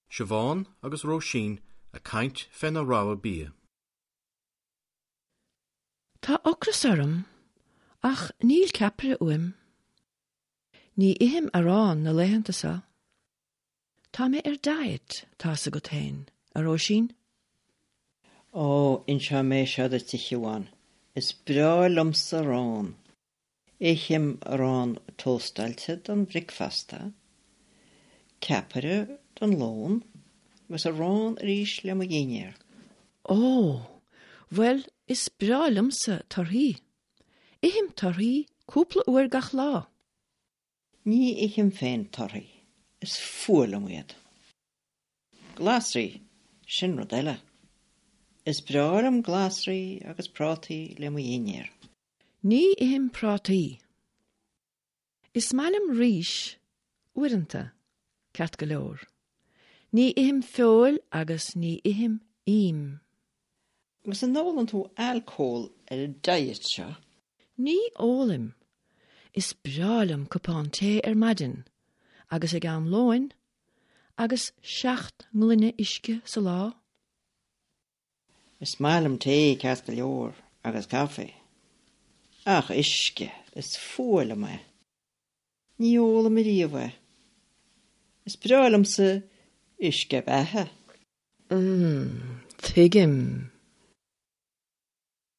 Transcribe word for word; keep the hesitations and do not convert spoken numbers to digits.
Siobhán agus Róisín ag caint faoina rogha bia. Tá ocras orm, ach níl ceapaire uaim. Ní ithim arán na laethanta seo. Tá mé ar diet, tá's agat féin, a Róisín. Ó, inseoidh mé seo duit a Shiobhán, is breá liomsa arán. Ithim arán tóstáilte don bhricfeasta, ceapaire don lón, agus arán arís le mo dhinnéar. Ó, bhuel, is breá liomsa torthaí. Ithim torthaí cúpla uair gach lá. Ní ithim féin torthaí, is fuath liom iad. Glasraí, sin rud eile. Is breá liom glasraí agus prátaí le mo dhinnéar. Ní ithim prátaí. Is maith liom rís, uaireanta, ceart go leor. Ní ithim feoil agus ní ithim im. Agus an ólann tú alcól ar an diet seo? Ní ólaim. Is breá liom cupán tae ar maidin, agus ag am lóin, agus seacht ngloine uisce sa lá. Is maith liom tae ceart go leor agus caife. Ach uisce, is fuath liom é. Ní ólaim ariamh é. Is breá liomsa uisce beatha. Mm, tuigim.